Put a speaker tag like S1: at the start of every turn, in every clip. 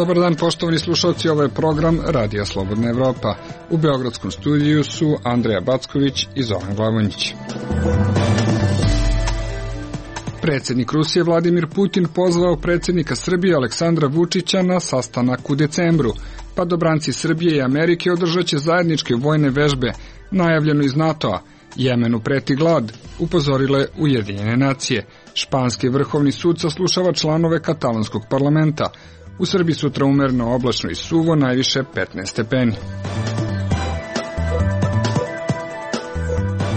S1: Dobar dan, poštovani slušalci, ovo je program Radija Slobodna Evropa. U beogradskom studiju su Andreja Backović i Zoran Glavonjić. Predsjednik Rusije Vladimir Putin pozvao predsjednika Srbije Aleksandra Vučića na sastanak u decembru. Padobranci Srbije i Amerike održat će zajedničke vojne vežbe, najavljeno iz NATO-a. Jemenu preti glad, upozorile Ujedinjene nacije. Španski vrhovni sud saslušava članove katalonskog parlamenta. U Srbiji sutra umereno, oblačno i suvo, najviše 15 stepeni.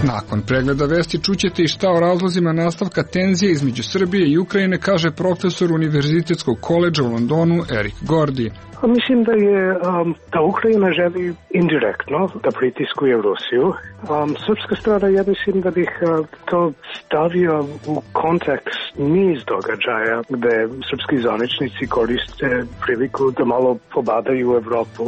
S1: Nakon pregleda vesti čućete i šta o razlozima nastavka tenzije između Srbije i Ukrajine, kaže profesor Univerzitetskog koledža u Londonu Eric Gordy.
S2: Mislim da Ukrajina želi indirektno da pritiskuje Rusiju. Srpska strana, ja mislim da bih to stavio u kontekst niz događaja gde srpski zvaničnici koriste priliku da malo pobadaju Evropu.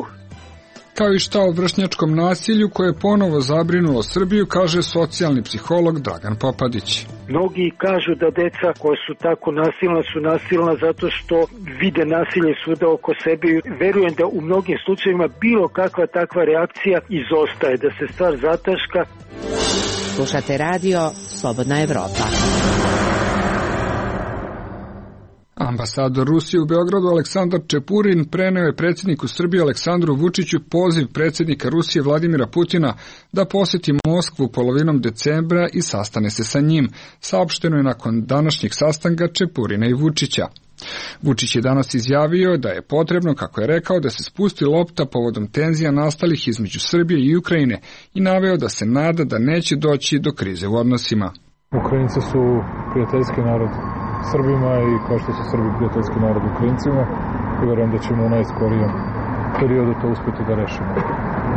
S1: Kao i šta o vršnjačkom nasilju koje je ponovo zabrinulo Srbiju, kaže socijalni psiholog Dragan Popadić.
S3: Mnogi kažu da deca koja su tako nasilna su nasilna zato što vide nasilje svuda oko sebe. Verujem da u mnogim slučajevima bilo kakva takva reakcija izostaje, da se stvar zataška.
S4: Slušate radio Slobodna Evropa.
S1: Ambasador Rusije u Beogradu Aleksandar Čepurin preneo je predsjedniku Srbije Aleksandru Vučiću poziv predsjednika Rusije Vladimira Putina da posjeti Moskvu polovinom decembra i sastane se sa njim. Saopšteno je nakon današnjeg sastanka Čepurina i Vučića. Vučić je danas izjavio da je potrebno, kako je rekao, da se spusti lopta povodom tenzija nastalih između Srbije i Ukrajine i naveo da se nada da neće doći do krize u odnosima.
S5: Ukrajinci su prijateljski narod Srbima i kao što su Srbi prijateljski narod Ukrajincima, i verujem da ćemo u najskorijem periodu to uspjeti da rešimo.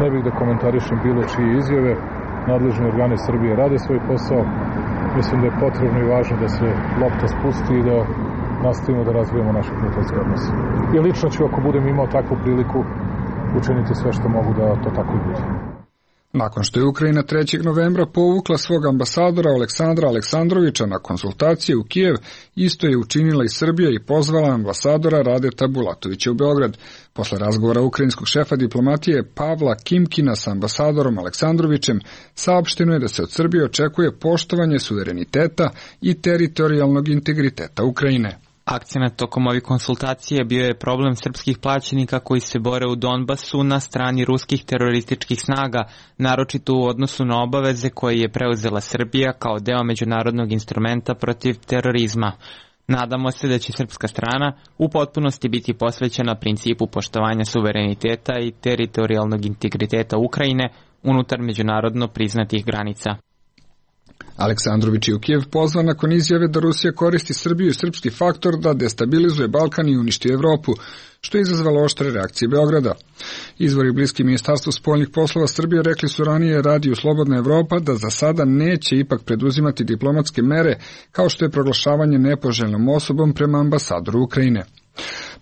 S5: Ne bih da komentarišem bilo čije izjave, nadležni organi Srbije rade svoj posao, mislim da je potrebno i važno da se lopta spusti i da nastavimo da razvijemo naše prijateljske odnose. I lično ću, ako budem imao takvu priliku, učiniti sve što mogu da to tako i bude.
S1: Nakon što je Ukrajina 3. novembra povukla svog ambasadora Aleksandra Aleksandrovića na konsultacije u Kijev, isto je učinila i Srbija i pozvala ambasadora Radeta Bulatovića u Beograd. Posle razgovora ukrajinskog šefa diplomatije Pavla Kimkina sa ambasadorom Aleksandrovićem, saopšteno je da se od Srbije očekuje poštovanje suvereniteta i teritorijalnog integriteta Ukrajine.
S6: Akcenat tokom ovih konsultacije bio je problem srpskih plaćenika koji se bore u Donbasu na strani ruskih terorističkih snaga, naročito u odnosu na obaveze koje je preuzela Srbija kao deo međunarodnog instrumenta protiv terorizma. Nadamo se da će srpska strana u potpunosti biti posvećena principu poštovanja suvereniteta i teritorijalnog integriteta Ukrajine unutar međunarodno priznatih granica.
S1: Aleksandrović je u Kijev pozvan nakon izjave da Rusija koristi Srbiju i srpski faktor da destabilizuje Balkan i uništi Evropu, što je izazvalo oštre reakcije Beograda. Izvori bliski Ministarstvu spoljnih poslova Srbije rekli su ranije Radiju Slobodna Evropa da za sada neće ipak preduzimati diplomatske mere, kao što je proglašavanje nepoželjnom osobom prema ambasadoru Ukrajine.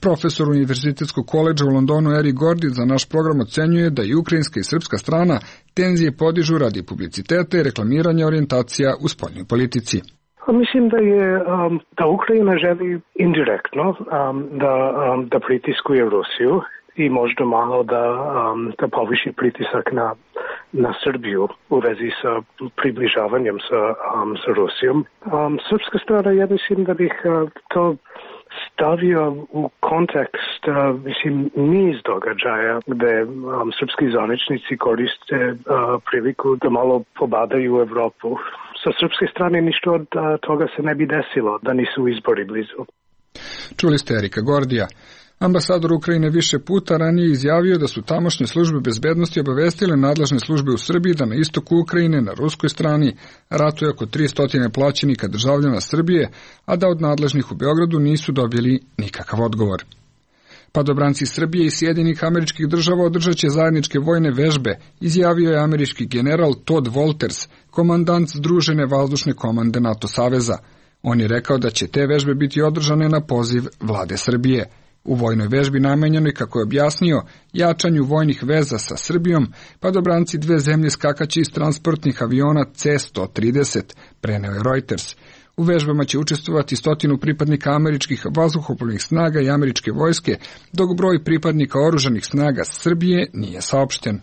S1: Profesor Univerzitetskog koledža u Londonu Eric Gordy za naš program ocenjuje da i ukrajinska i srpska strana tenzije podižu radi publiciteta i reklamiranja orijentacija u spoljnoj politici.
S2: Mislim da Ukrajina želi indirektno da pritiskuje Rusiju i možda malo da poviši pritisak na Srbiju u vezi sa približavanjem sa Rusijom. Srpska strana, ja mislim da bih to stavio u kontekst niz događaja gde srpski zvaničnici koriste priliku da malo pobadaju Evropu. Sa srpske strane ništa od toga se ne bi desilo da nisu izbori blizu.
S1: Čuli ste Erika Gordija. Ambasador Ukrajine više puta ranije izjavio da su tamošnje službe bezbednosti obavestile nadležne službe u Srbiji da na istoku Ukrajine, na ruskoj strani, ratuje oko 300 plaćenika državljana Srbije, a da od nadležnih u Beogradu nisu dobili nikakav odgovor. Padobranci Srbije i Sjedinjenih Američkih Država održat će zajedničke vojne vežbe, izjavio je američki general Todd Wolters, komandant Združene vazdušne komande NATO saveza. On je rekao da će te vežbe biti održane na poziv vlade Srbije. U vojnoj vežbi namenjenoj, kako je objasnio, jačanju vojnih veza sa Srbijom, padobranci dve zemlje skakaće iz transportnih aviona C-130, preneo je Reuters. U vežbama će učestvovati 100 pripadnika američkih vazduhoplovnih snaga i američke vojske, dok broj pripadnika oružanih snaga Srbije nije saopšten.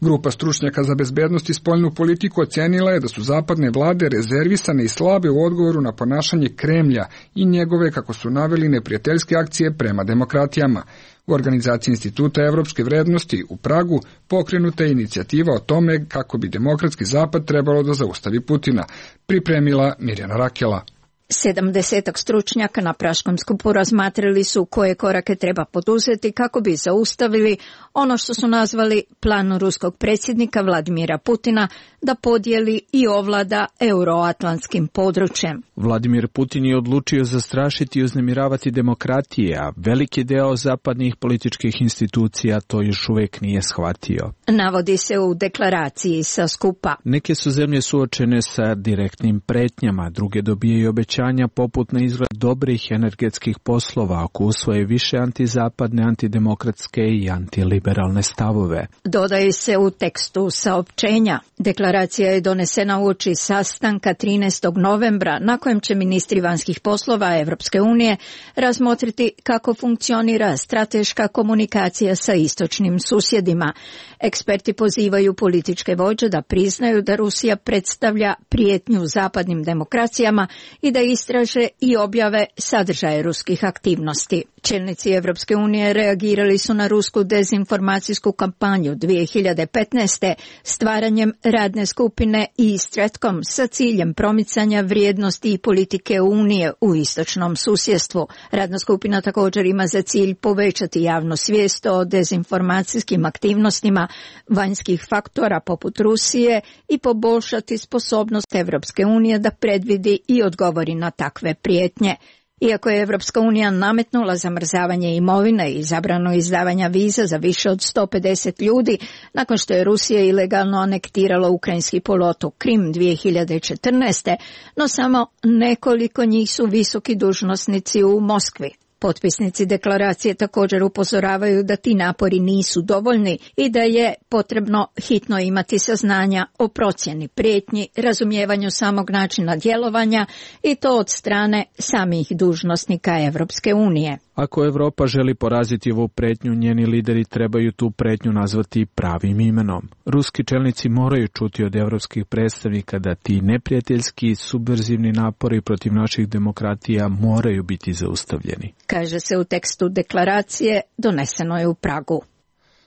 S1: Grupa stručnjaka za bezbednost i spoljnu politiku ocenila je da su zapadne vlade rezervisane i slabe u odgovoru na ponašanje Kremlja i njegove, kako su naveli, neprijateljske akcije prema demokratijama. U organizaciji Instituta evropske vrednosti u Pragu pokrenuta je inicijativa o tome kako bi demokratski zapad trebalo da zaustavi Putina, pripremila Mirjana Rakela.
S7: 70 stručnjaka na Praškom skupu razmatrali su koje korake treba poduzeti kako bi zaustavili ono što su nazvali plan ruskog predsjednika Vladimira Putina da podijeli i ovlada euroatlantskim područjem.
S8: Vladimir Putin je odlučio zastrašiti i uznemiravati demokratije, a veliki deo zapadnih političkih institucija to još uvijek nije shvatio.
S7: Navodi se u deklaraciji sa skupa.
S8: Neke su zemlje suočene sa direktnim pretnjama, druge dobijaju obećanja poput na izgled dobrih energetskih poslova ako usvoje više antizapadne, antidemokratske i antiliberalne stavove.
S7: Dodaje se u tekstu saopćenja. Deklaracija je donesena uoči sastanka 13. novembra na kojem će ministri vanjskih poslova Evropske unije razmotriti kako funkcionira strateška komunikacija sa istočnim susjedima. Eksperti pozivaju političke vođe da priznaju da Rusija predstavlja prijetnju zapadnim demokracijama i da istraže i objave sadržaje ruskih aktivnosti. Čelnici Evropske unije reagirali su na rusku dezinformacijsku kampanju 2015. stvaranjem radne skupine Stratcom sa ciljem promicanja vrijednosti i politike Unije u istočnom susjedstvu. Radna skupina također ima za cilj povećati javnu svijest o dezinformacijskim aktivnostima vanjskih faktora poput Rusije i poboljšati sposobnost Evropske unije da predvidi i odgovori na takve prijetnje. Iako je Evropska unija nametnula zamrzavanje imovine i zabranu izdavanja viza za više od 150 ljudi, nakon što je Rusija ilegalno anektirala ukrajinski poluotok Krim 2014. no samo nekoliko njih su visoki dužnosnici u Moskvi. Potpisnici deklaracije također upozoravaju da ti napori nisu dovoljni i da je potrebno hitno imati saznanja o procjeni prijetnji, razumijevanju samog načina djelovanja i to od strane samih dužnosnika Evropske unije.
S8: Ako Evropa želi poraziti ovu pretnju, njeni lideri trebaju tu pretnju nazvati pravim imenom. Ruski čelnici moraju čuti od evropskih predstavnika da ti neprijateljski subverzivni napori protiv naših demokratija moraju biti zaustavljeni.
S7: Kaže se u tekstu deklaracije, doneseno je u Pragu.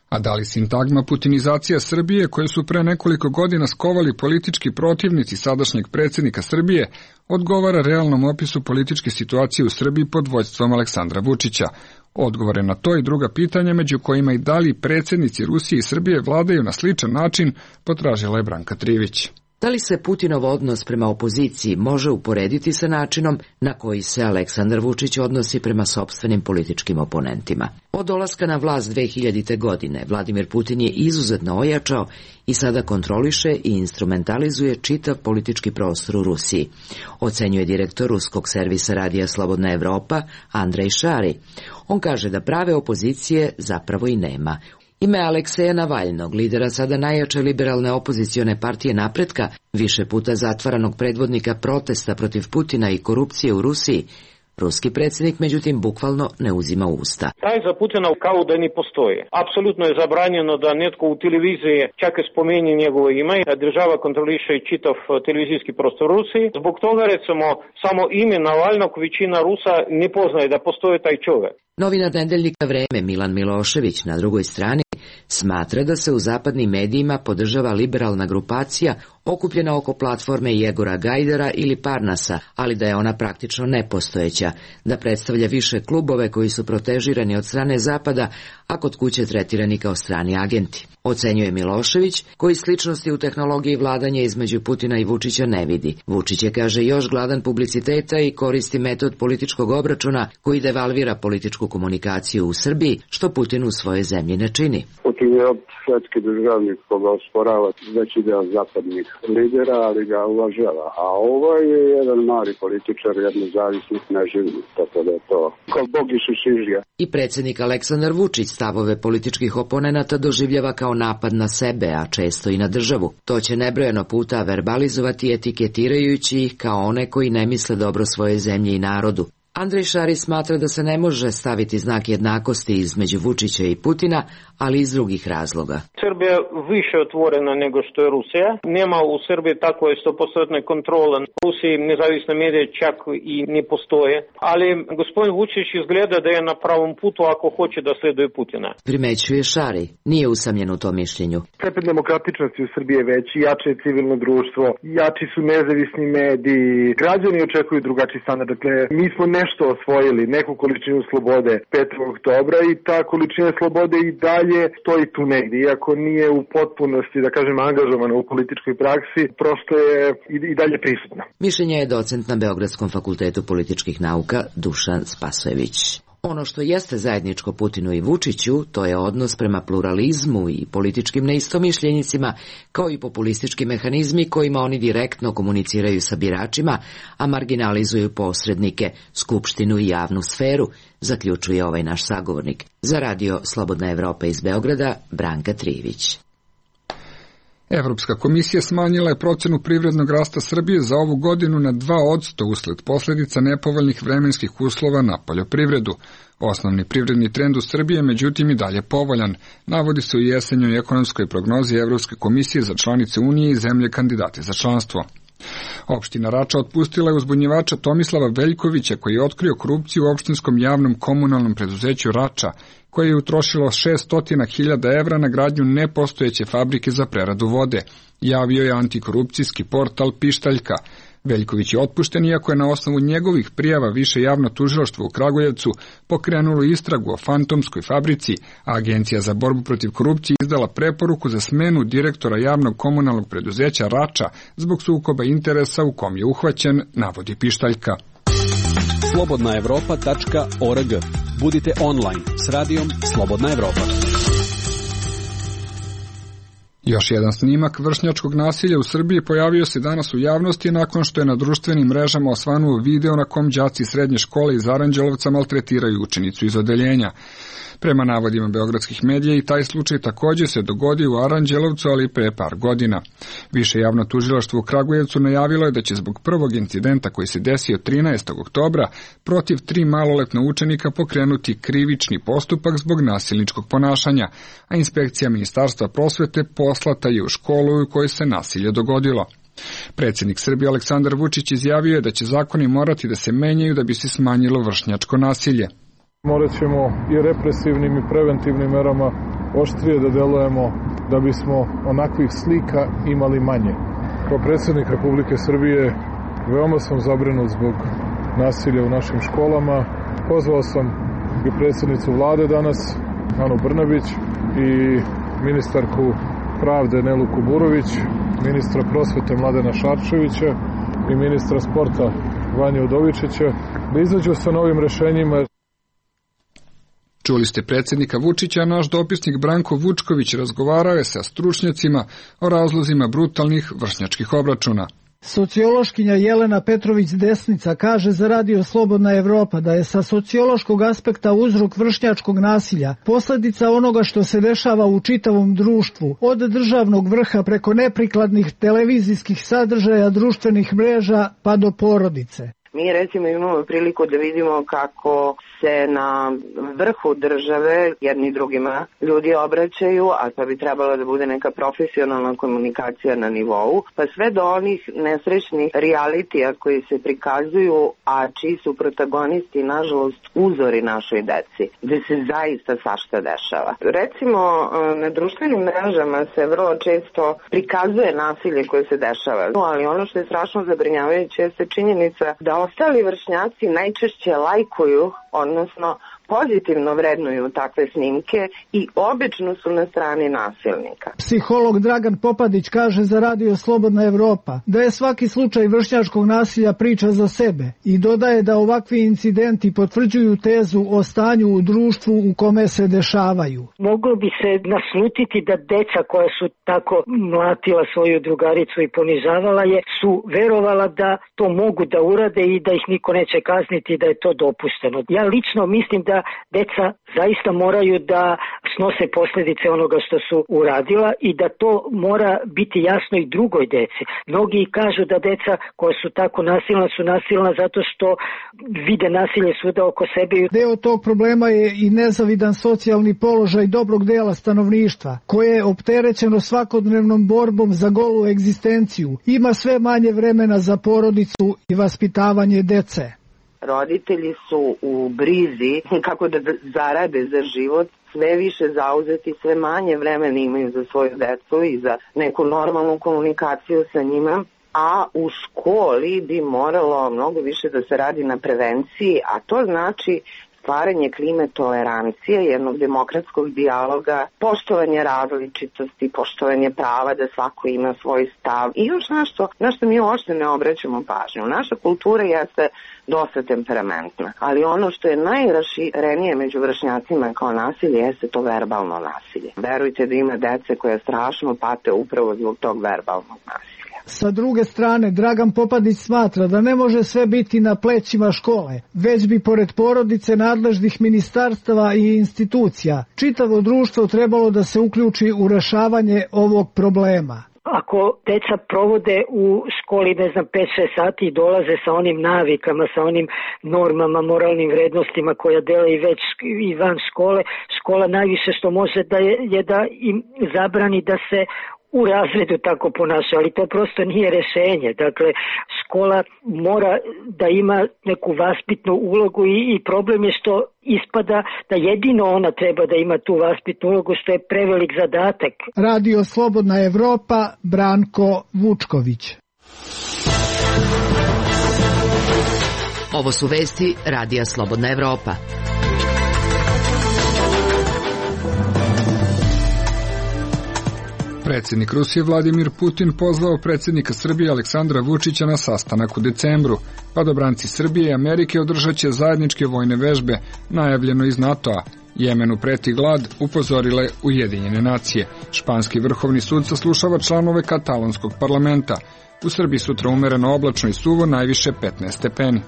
S1: A da li sintagma putinizacija Srbije, koje su pre nekoliko godina skovali politički protivnici sadašnjeg predsjednika Srbije, odgovara realnom opisu političke situacije u Srbiji pod vođstvom Aleksandra Vučića? Odgovore na to i druga pitanja, među kojima i da li predsjednici Rusije i Srbije vladaju na sličan način, potražila je Branka Trivić.
S9: Da li se Putinov odnos prema opoziciji može uporediti sa načinom na koji se Aleksandar Vučić odnosi prema sopstvenim političkim oponentima? Od dolaska na vlast 2000. godine Vladimir Putin je izuzetno ojačao i sada kontroliše i instrumentalizuje čitav politički prostor u Rusiji, ocenjuje direktor ruskog servisa radija Slobodna Evropa Andrej Šari. On kaže da prave opozicije zapravo i nema. Ime Alekseja Navalnog, lidera sada najjače liberalne opozicione partije Napretka, više puta zatvaranog predvodnika protesta protiv Putina i korupcije u Rusiji, ruski predsjednik međutim bukvalno ne uzima usta.
S10: Taj za Putina kao da ni postoji. Apsolutno je zabranjeno da netko u televiziji čak i spomeni njegovo ime. Država kontroliše i čitav televizijski prostor u Rusiji. Zbog toga recimo samo ime Navalnog većina Rusa ne poznaje da postoji taj čovjek.
S9: Novinar nedeljnika Vreme Milan Milošević na drugoj strani smatra da se u zapadnim medijima podržava liberalna grupacija okupljena oko platforme Jegora Gajdara ili Parnasa, ali da je ona praktično nepostojeća, da predstavlja više klubove koji su protežirani od strane Zapada, a kod kuće tretirani kao strani agenti. Ocenjuje Milošević, koji sličnosti u tehnologiji vladanja između Putina i Vučića ne vidi. Vučić je, kaže, još gladan publiciteta i koristi metod političkog obračuna koji devalvira političku komunikaciju u Srbiji, što Putin u svojoj zemlji ne čini.
S11: Putin je svetski državnik koga osporava veći deo zapadnih lidera, ali ga uvažava. A ovo je jedan mali političar, jedan zavisnik neživnik, tako da je to kao Bog i Susižija.
S9: I predsjednik Aleksandar Vučić stavove političkih oponenata doživljava kao napad na sebe, a često i na državu. To će nebrojeno puta verbalizovati etiketirajući ih kao one koji ne misle dobro svoje zemlje i narodu. Andrej Šarić smatra da se ne može staviti znak jednakosti između Vučića i Putina, ali iz drugih razloga.
S10: Srbija više otvorena nego što je Rusija. Nema u Srbiji takve 100% kontrole. U Rusiji nezavisne medije čak i ne postoje. Ali gospodin Vučić izgleda da je na pravom putu ako hoće da sleduje Putina.
S9: Primećuje Šari. Nije usamljen u tom mišljenju.
S12: Stepen demokratičnosti u Srbiji je veći, jače je civilno društvo, jači su nezavisni mediji, građani očekuju drugačiji standard. Dakle, mi smo nešto osvojili, neku količinu slobode 5. oktobra i ta količina slobode i dalje stoji tu negdje, iako nije u potpunosti, da kažem, angažovana u političkoj praksi, prosto je i dalje prisutna.
S9: Mišljenje je docent na Beogradskom fakultetu političkih nauka Dušan Spasojević. Ono što jeste zajedničko Putinu i Vučiću, to je odnos prema pluralizmu i političkim neistomišljenicima, kao i populistički mehanizmi kojima oni direktno komuniciraju sa biračima, a marginalizuju posrednike, skupštinu i javnu sferu, zaključuje ovaj naš sagovornik. Za radio Slobodna Evropa iz Beograda, Branka Trivić.
S1: Evropska komisija smanjila je procenu privrednog rasta Srbije za ovu godinu na 2% usled posljedica nepovoljnih vremenskih uslova na poljoprivredu. Osnovni privredni trend u Srbiji je međutim i dalje povoljan, navodi se u jesenjoj ekonomskoj prognozi Evropske komisije za članice Unije i zemlje kandidate za članstvo. Opština Rača otpustila je uzbunjivača Tomislava Veljkovića koji je otkrio korupciju u opštinskom javnom komunalnom preduzeću Rača, koje je utrošilo 600.000 evra na gradnju nepostojeće fabrike za preradu vode, javio je antikorupcijski portal Pištaljka. Veljković je otpušten iako je na osnovu njegovih prijava više javno tužilaštvo u Kragujevcu pokrenulo istragu o fantomskoj fabrici, a Agencija za borbu protiv korupcije izdala preporuku za smenu direktora javnog komunalnog preduzeća Rača zbog sukoba interesa u kom je uhvaćen, navodi Pištaljka.
S13: slobodnaevropa.org. Budite online s radijom Slobodna Evropa.
S1: Još jedan snimak vršnjačkog nasilja u Srbiji pojavio se danas u javnosti nakon što je na društvenim mrežama osvanuo video na kom đaci srednje škole iz Aranđelovca maltretiraju učenicu iz odeljenja. Prema navodima beogradskih medija i taj slučaj također se dogodio u Aranđelovcu, ali pre par godina. Više javno tužilaštvo u Kragujevcu najavilo je da će zbog prvog incidenta koji se desio 13. oktobra protiv 3 maloletna učenika pokrenuti krivični postupak zbog nasilničkog ponašanja, a inspekcija Ministarstva prosvete poslata je u školu u kojoj se nasilje dogodilo. Predsjednik Srbije Aleksandar Vučić izjavio je da će zakoni morati da se menjaju da bi se smanjilo vršnjačko nasilje.
S5: Morat ćemo i represivnim i preventivnim merama oštrije da delujemo da bismo onakvih slika imali manje. Kao predsjednik Republike Srbije veoma sam zabrinut zbog nasilja u našim školama. Pozvao sam i predsjednicu vlade danas, Anu Brnabić, i ministarku pravde Nelu Kuburović, ministra prosvete Mladena Šarčevića i ministra sporta Vanju Udovičića, da izađu sa novim rešenjima.
S1: Čuli ste predsjednika Vučića, naš dopisnik Branko Vučković razgovarao je sa stručnjacima o razlozima brutalnih vršnjačkih obračuna.
S14: Sociološkinja Jelena Petrović-Desnica kaže za radio Slobodna Evropa da je sa sociološkog aspekta uzrok vršnjačkog nasilja posljedica onoga što se dešava u čitavom društvu, od državnog vrha preko neprikladnih televizijskih sadržaja, društvenih mreža pa do porodice.
S15: Mi recimo imamo priliku da vidimo kako se na vrhu države jedni drugima ljudi obraćaju, a to bi trebalo da bude neka profesionalna komunikacija na nivou, pa sve do onih nesrećnih realitija koji se prikazuju, a čiji su protagonisti nažalost uzori našoj deci, gde se zaista svašta dešava. Recimo na društvenim mrežama se vrlo često prikazuje nasilje koje se dešava, ali ono što je strašno zabrinjavajuće je činjenica da ostali vršnjaci najčešće lajkuju, odnosno pozitivno vrednuju takve snimke i obično su na strani nasilnika.
S14: Psiholog Dragan Popadić kaže za Radio Slobodna Evropa da je svaki slučaj vršnjačkog nasilja priča za sebe i dodaje da ovakvi incidenti potvrđuju tezu o stanju u društvu u kome se dešavaju.
S3: Moglo bi se naslutiti da deca koja su tako mlatila svoju drugaricu i ponižavala je, su verovala da to mogu da urade i da ih niko neće kazniti i da je to dopušteno. Ja lično mislim da deca zaista moraju da snose posljedice onoga što su uradila i da to mora biti jasno i drugoj deci. Mnogi kažu da deca koja su tako nasilna su nasilna zato što vide nasilje svuda oko sebe.
S14: Deo tog problema je i nezavidan socijalni položaj dobrog dela stanovništva, koje je opterećeno svakodnevnom borbom za golu egzistenciju. Ima sve manje vremena za porodicu i vaspitavanje dece.
S15: Roditelji su u brizi kako da zarade za život, sve više zauzeti, sve manje vremena imaju za svoju decu i za neku normalnu komunikaciju sa njima. A u školi bi moralo mnogo više da se radi na prevenciji, a to znači stvaranje klime tolerancije, jednog demokratskog dijaloga, poštovanje različitosti, poštovanje prava da svako ima svoj stav. I još nešto na što mi uopšte ne obraćamo pažnju. Naša kultura jeste dosta temperamentna, ali ono što je najraširenije među vršnjacima kao nasilje jeste to verbalno nasilje. Verujte da ima dece koje strašno pate upravo zbog tog verbalnog nasilja.
S14: Sa druge strane, Dragan Popadić smatra da ne može sve biti na plećima škole, već bi pored porodice, nadležnih ministarstava i institucija čitavo društvo trebalo da se uključi u rešavanje ovog problema.
S3: Ako deca provode u školi, 5-6 sati i dolaze sa onim navikama, sa onim normama, moralnim vrednostima koja dele i već i van škole, škola najviše što može je da im zabrani da se u razredu tako ponaša, ali to prosto nije rešenje. Dakle, škola mora da ima neku vaspitnu ulogu i problem je što ispada da jedino ona treba da ima tu vaspitnu ulogu, što je prevelik zadatak.
S14: Radio Slobodna Evropa, Branko Vučković.
S9: Ovo su vesti Radija Slobodna Evropa.
S1: Predsjednik Rusije Vladimir Putin pozvao predsjednika Srbije Aleksandra Vučića na sastanak u decembru. Padobranci Srbije i Amerike održat će zajedničke vojne vežbe, najavljeno iz NATO-a. Jemenu preti glad, upozorile Ujedinjene nacije. Španski vrhovni sud saslušava članove katalonskog parlamenta. U Srbiji sutra umereno oblačno i suvo, najviše 15 stepeni.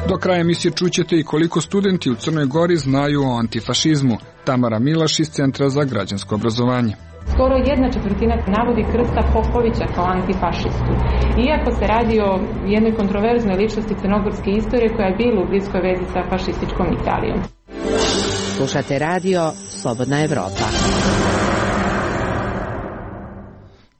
S1: Do kraja emisije čućete i koliko studenti u Crnoj Gori znaju o antifašizmu. Tamara Milaš iz Centra za građansko obrazovanje.
S16: Skoro 1/4 navodi Krsta Popovića kao antifašistu. Iako se radi o jednoj kontroverznoj ličnosti crnogorske istorije koja je bila u bliskoj vezi sa fašističkom Italijom.
S4: Slušate radio Slobodna Evropa.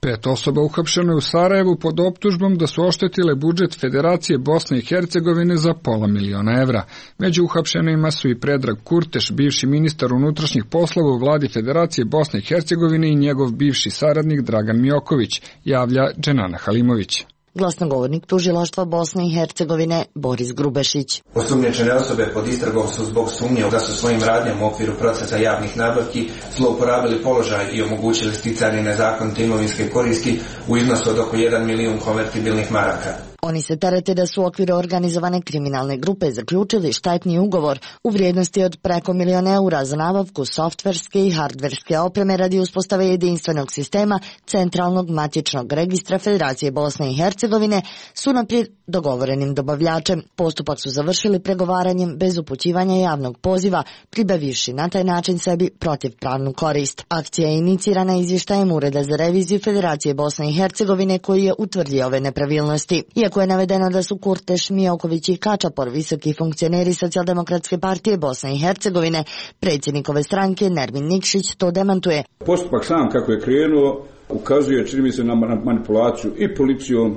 S1: 5 osoba uhapšeno je u Sarajevu pod optužbom da su oštetile budžet Federacije Bosne i Hercegovine za $500.000 evra. Među uhapšenima su i Predrag Kurteš, bivši ministar unutrašnjih poslova u vladi Federacije Bosne i Hercegovine i njegov bivši saradnik Dragan Mioković, javlja Dženana Halimović.
S17: Glasnogovornik tužilaštva Bosne i Hercegovine Boris Grubešić.
S18: Osumnjičene osobe pod istragom su zbog sumnje da su svojim radnjama u okviru procesa javnih nabavki zlouporabili položaj i omogućili sticanje nezakonite imovinske koristi u iznosu od oko 1 milijun konvertibilnih maraka.
S17: Oni se terete da su u okviru organizovane kriminalne grupe zaključili štetni ugovor u vrijednosti od preko $1 milion za nabavku softverske i hardverske opreme radi uspostave jedinstvenog sistema centralnog matičnog registra Federacije Bosne i Hercegovine s unaprijed dogovorenim dobavljačem. Postupak su završili pregovaranjem bez upućivanja javnog poziva, pribavivši na taj način sebi protivpravnu korist. Akcija je inicirana izvještajem Ureda za reviziju Federacije Bosne i Hercegovine koji je utvrdio ove nepravilnosti. Iako je navedeno da su Kurteš, Mioković i Kačapor visoki funkcioneri Socijaldemokratske partije Bosne i Hercegovine, predsjednikove stranke Nermin Nikšić to demantuje.
S19: Postupak sam kako je krenuo ukazuje, čini mi se, na manipulaciju i policijom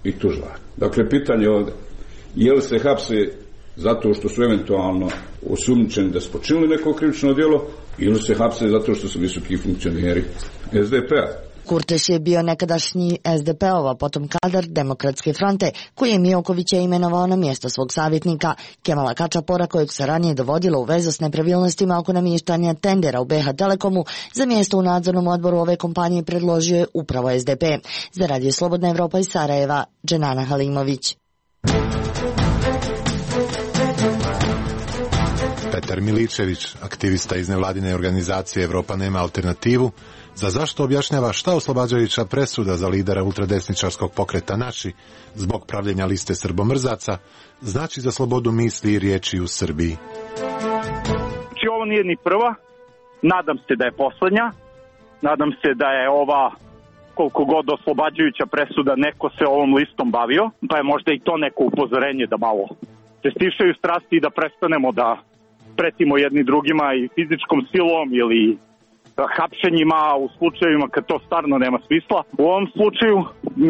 S19: i tužilaštvom. Dakle, pitanje ovdje, je li se hapse zato što su eventualno osumnjičeni da su počinili neko krivično djelo ili se hapse zato što su visoki funkcioneri SDP-a.
S17: Kurteš je bio nekadašnji SDP-ova, potom kadar Demokratske fronte, koji je Miokovića imenovao na mjesto svog savjetnika. Kemala Kačapora, kojeg se ranije dovodilo u vezu s nepravilnostima oko namještanja tendera u BH Telekomu, za mjesto u nadzornom odboru ove kompanije predložio je upravo SDP. Za Radio Slobodna Evropa iz Sarajeva, Dženana Halimović.
S20: Petar Miličević, aktivista iz nevladine organizacije Evropa nema alternativu, za zašto objašnjava šta oslobađajuća presuda za lidera ultradesničarskog pokreta Naši zbog pravljenja liste srbomrzaca znači za slobodu misli i riječi u Srbiji.
S21: Znači ovo nije ni prva, nadam se da je poslednja, nadam se da je ova koliko god oslobađajuća presuda neko se ovom listom bavio, pa je možda i to neko upozorenje da malo se stišaju strasti i da prestanemo da pretimo jedni drugima i fizičkom silom ili hapšenjima u slučajevima kad to stvarno nema smisla. U ovom slučaju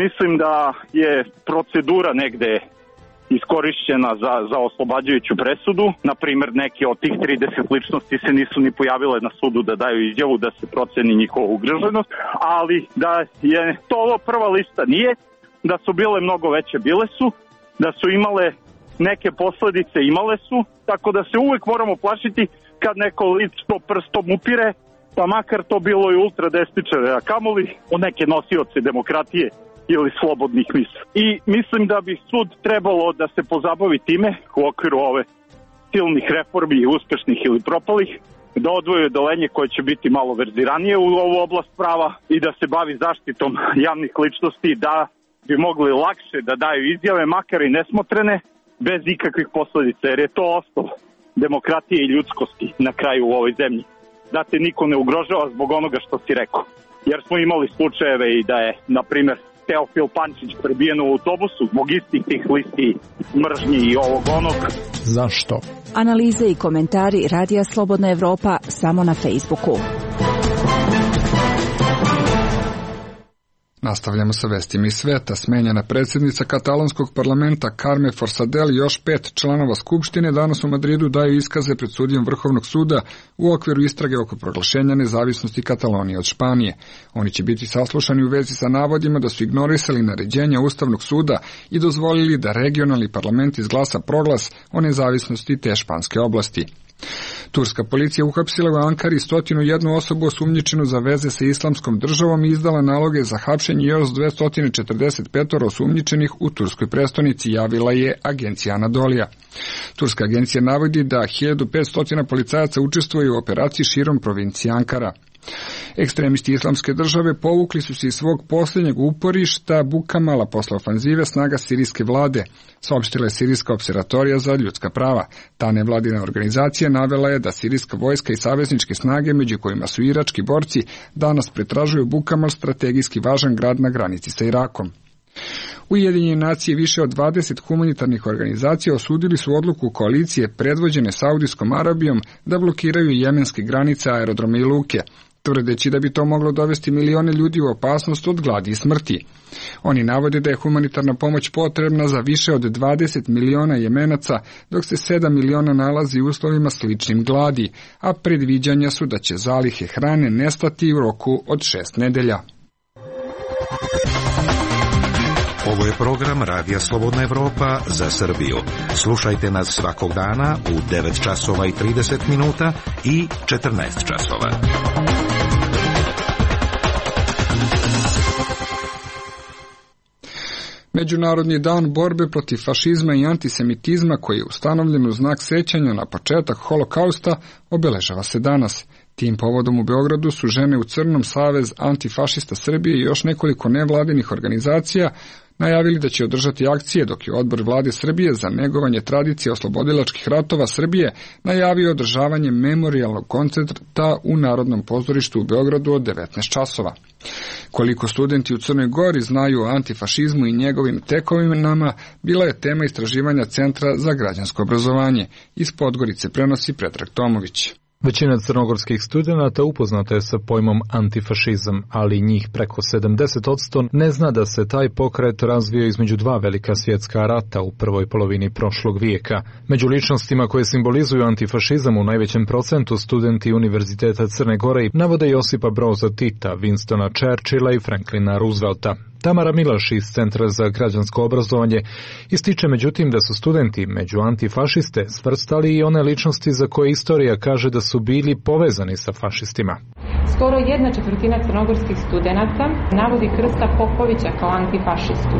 S21: mislim da je procedura negde iskorišćena za oslobađajuću presudu. Naprimer, neki od tih 30 ličnosti se nisu ni pojavile na sudu da daju izjavu da se proceni njihova ugroženost, ali da je to ovo prva lista nije, da su bile mnogo veće, bile su, da su imale neke posledice, imale su, tako da se uvek moramo plašiti kad neko lično prstom upire, pa makar to bilo i ultradesničare, a kamoli u neke nosioce demokratije ili slobodnih misli. I mislim da bi sud trebalo da se pozabavi time u okviru ove silnih reformi, uspešnih ili propalih, da odvoje odeljenje koje će biti malo verziranije u ovu oblast prava i da se bavi zaštitom javnih ličnosti, da bi mogli lakše da daju izjave, makar i nesmotrene, bez ikakvih posledica, jer je to osnov demokratije i ljudskosti na kraju u ovoj zemlji. Da te niko ne ugrožava zbog onoga što si rekao. Jer smo imali slučajeve i da je, na primjer, Teofil Pančić prebijen u autobusu zbog istih tih listi mržnji i ovog onog.
S8: Zašto?
S22: Analize i komentari Radija Slobodna Evropa samo na Facebooku.
S1: Nastavljamo sa vestima iz sveta. Smenjena predsjednica katalonskog parlamenta Carme Forcadell i još 5 članova Skupštine danas u Madridu daju iskaze pred sudijom Vrhovnog suda u okviru istrage oko proglašenja nezavisnosti Katalonije od Španije. Oni će biti saslušani u vezi sa navodima da su ignorisali naređenja Ustavnog suda i dozvolili da regionalni parlament izglasa proglas o nezavisnosti te španske oblasti. Turska policija uhapsila u Ankari 101 osobu osumnjičenu za veze sa islamskom državom i izdala naloge za hapšenje još 245 osumnjičenih u turskoj prestonici, javila je agencija Anadolija. Turska agencija navodi da 1500 policajaca učestvuje u operaciji širom provincije Ankara. Ekstremisti islamske države povukli su se iz svog posljednjeg uporišta Bukamala posle ofanzive snaga sirijske vlade, saopštila je Sirijska opservatorija za ljudska prava. Ta nevladina organizacija navela je da sirijska vojska i savezničke snage, među kojima su irački borci, danas pretražuju Bukamal, strategijski važan grad na granici sa Irakom. Ujedinjene nacije više od 20 humanitarnih organizacija osudili su odluku koalicije predvođene Saudijskom Arabijom da blokiraju jemenske granice, aerodrome i luke, tvrdeći da bi to moglo dovesti milione ljudi u opasnost od gladi i smrti. Oni navode da je humanitarna pomoć potrebna za više od 20 miliona Jemenaca, dok se 7 miliona nalazi u uslovima sličnim gladi, a predviđanja su da će zalihe hrane nestati u roku od 6 nedelja.
S23: Ovo je program Radija Slobodna Evropa za Srbiju. Slušajte nas svakog dana u 9 časova i 30 minuta i 14 časova.
S1: Međunarodni dan borbe protiv fašizma i antisemitizma, koji je ustanovljen u znak sećanja na početak holokausta, obeležava se danas. Tim povodom u Beogradu su Žene u crnom, Savez antifašista Srbije i još nekoliko nevladinih organizacija najavili da će održati akcije, dok je Odbor Vlade Srbije za negovanje tradicije oslobodilačkih ratova Srbije najavio održavanje memorijalnog koncerta u Narodnom pozorištu u Beogradu od 19 časova. Koliko studenti u Crnoj Gori znaju o antifašizmu i njegovim tekovinama, bila je tema istraživanja Centra za građansko obrazovanje. Iz Podgorice prenosi Predrag Tomović.
S2: Većina crnogorskih studenata upoznata je sa pojmom antifašizam, ali njih preko 70% ne zna da se taj pokret razvio između dva velika svjetska rata u prvoj polovini prošlog vijeka. Među ličnostima koje simbolizuju antifašizam u najvećem procentu studenti Univerziteta Crne Gore navode Josipa Broza Tita, Winstona Churchilla i Franklina Roosevelta. Tamara Milaš iz Centra za građansko obrazovanje ističe međutim da su studenti među antifašiste svrstali i one ličnosti za koje istorija kaže da su bili povezani sa fašistima.
S16: Skoro 1/4 crnogorskih studenata navodi Krsta Popovića kao antifašistu.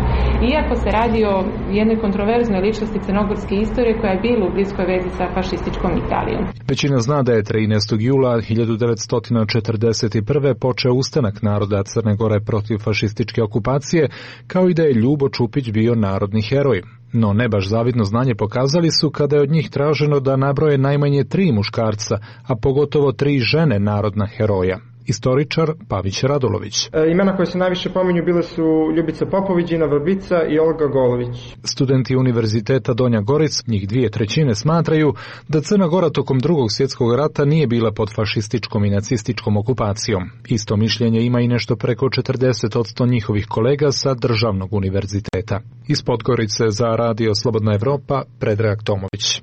S16: Iako se radi o jednoj kontroverznoj ličnosti crnogorske istorije koja je bila u bliskoj vezi sa fašističkom Italijom.
S2: Većina zna da je 13. jula 1941. počeo ustanak naroda Crne Gore protiv fašističke okupacije, kao i da je Ljubo Čupić bio narodni heroj. No ne baš zavidno znanje pokazali su kada je od njih traženo da nabroje najmanje 3 muškarca, a pogotovo 3 žene narodna heroja. Istoričar Pavić Radulović.
S6: Imena koje se najviše pominju bile su Ljubica Popović, Dina Vrbica i Olga Golović.
S2: Studenti Univerziteta Donja Goric, njih 2/3 smatraju da Crna Gora tokom Drugog svjetskog rata nije bila pod fašističkom i nacističkom okupacijom. Isto mišljenje ima i nešto preko 40% njihovih kolega sa državnog univerziteta. Iz Podgorice za Radio Slobodna Evropa, Predrag Tomović.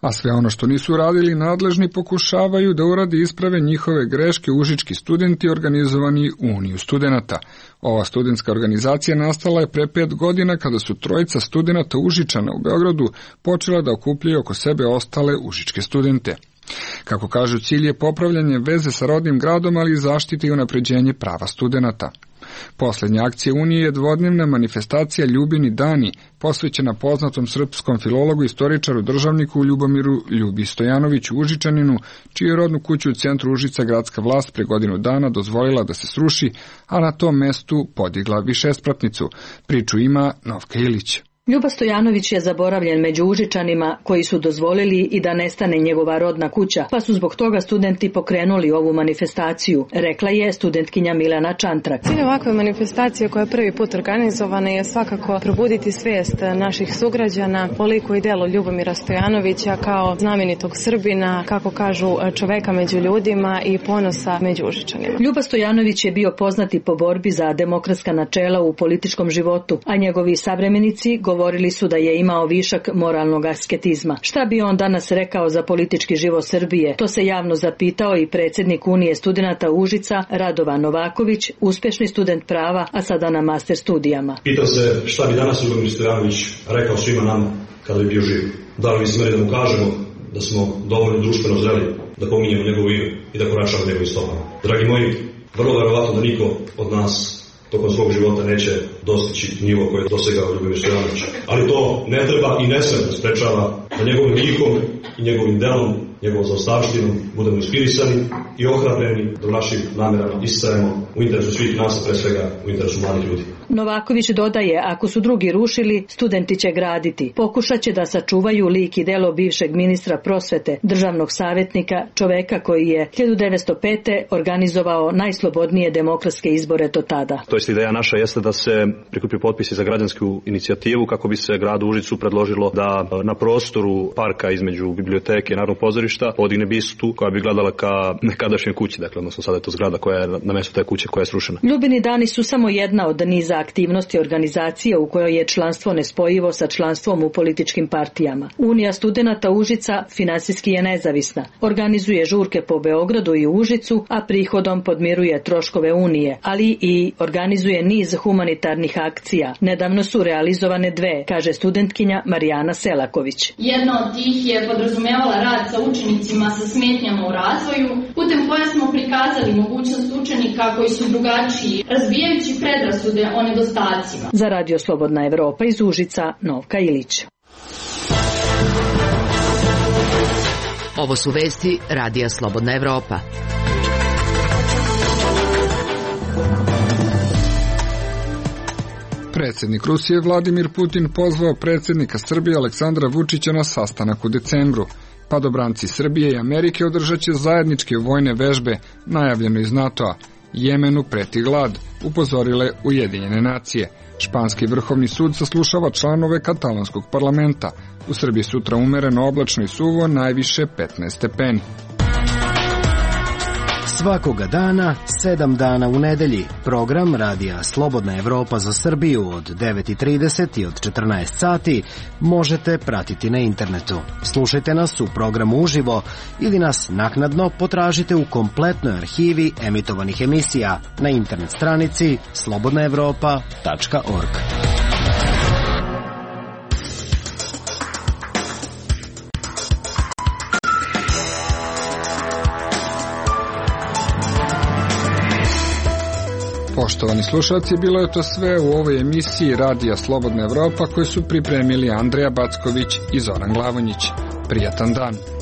S1: A sve ono što nisu radili nadležni pokušavaju da uradi isprave njihove greške užički studenti organizovani Uniju studenata. Ova studentska organizacija nastala je pre 5 godina kada su trojica studenata Užičana u Beogradu počela da okupljaju oko sebe ostale užičke studente. Kako kažu, cilj je popravljanje veze sa rodnim gradom, ali i zaštite i unapređenje prava studenata. Poslednja akcija Unije je dvodnevna manifestacija Ljubini dani, posvećena poznatom srpskom filologu i istoričaru državniku Ljubomiru Ljubi Stojanoviću Užičaninu, čiju rodnu kuću u centru Užica gradska vlast pre godinu dana dozvolila da se sruši, a na tom mestu podigla višespratnicu. Priču ima Novka Ilić.
S7: Ljuba Stojanović je zaboravljen među Užičanima koji su dozvolili i da nestane njegova rodna kuća, pa su zbog toga studenti pokrenuli ovu manifestaciju, rekla je studentkinja Milana Čantrak.
S24: Cilj ovakve manifestacije koja je prvi put organizovana je svakako probuditi svijest naših sugrađana o liku i delu Ljubomira Stojanovića kao znamenitog Srbina, kako kažu, čoveka među ljudima i ponosa među Užičanima.
S7: Ljuba Stojanović je bio poznati po borbi za demokratska načela u političkom životu, a njegovi savremenici govorili su da je imao višak moralnog asketizma. Šta bi on danas rekao za politički život Srbije? To se javno zapitao i predsjednik Unije studenata Užica, Radovan Novaković, uspješni student prava, a sada na master studijama.
S25: Pitao se šta bi danas Ljubomir Stojanović rekao svima nama kada bi bio živ. Da li bi smeli da mu kažemo da smo dovoljno društveno zreli da pominjemo njegovo ime i da koračamo njegovim stopama. Dragi moji, vrlo verovatno da niko od nas tokom svog života neće dostići nivo koje je dosegao Ljubomir Stojanović. Ali to ne treba i ne sme da sprečava da njegovim lihom i njegovim delom, njegovom zaostavštinom budemo inspirisani i ohrabreni da u našim namerama istrajemo u interesu svih nas, pre svega u interesu mladih ljudi.
S7: Novaković dodaje, ako su drugi rušili, studenti će graditi. Pokušat će da sačuvaju lik i delo bivšeg ministra prosvete, državnog savjetnika, čoveka koji je 1905. organizovao najslobodnije demokratske izbore do tada.
S26: To jest ideja naša jeste da se prikupi potpisi za građansku inicijativu kako bi se gradu Užicu predložilo da na prostoru parka između biblioteke i Narodnog pozorišta podigne bistu koja bi gledala ka nekadašnjoj kući, dakle odnosno sada je to zgrada koja je na mjestu te kuće koja je srušena.
S7: Ljubini dani su samo jedna od niza aktivnosti organizacije u kojoj je članstvo nespojivo sa članstvom u političkim partijama. Unija studenata Užica finansijski je nezavisna. Organizuje žurke po Beogradu i Užicu, a prihodom podmiruje troškove Unije, ali i organizuje niz humanitarnih akcija. Nedavno su realizovane 2, kaže studentkinja Marijana Selaković.
S27: Jedna od tih je podrazumevala rad sa učenicima sa smetnjama u razvoju, putem koje smo prikazali mogućnost učenika koji su drugačiji, razbijajući predrasude o nedostacima.
S7: Za Radio Slobodna Evropa iz Užica, Novka Ilić.
S9: Ovo su vesti Radija Slobodna Evropa.
S1: Predsjednik Rusije Vladimir Putin pozvao predsjednika Srbije Aleksandra Vučića na sastanak u decembru. Padobranci Srbije i Amerike održat će zajedničke vojne vežbe, najavljeno iz NATO-a. Jemenu preti glad, upozorile Ujedinjene nacije. Španski vrhovni sud saslušava članove katalonskog parlamenta. U Srbiji sutra umereno oblačno i suvo, najviše 15 stepeni.
S3: Svakoga dana, 7 dana u nedelji. Program Radija Slobodna Evropa za Srbiju od 9:30 i od 14 sati možete pratiti na internetu. Slušajte nas u programu uživo ili nas naknadno potražite u kompletnoj arhivi emitovanih emisija na internet stranici slobodnaevropa.org.
S1: Poštovani slušalci, bilo je to sve u ovoj emisiji Radija Slobodna Evropa koju su pripremili Andreja Backović i Zoran Glavonjić. Prijatan dan.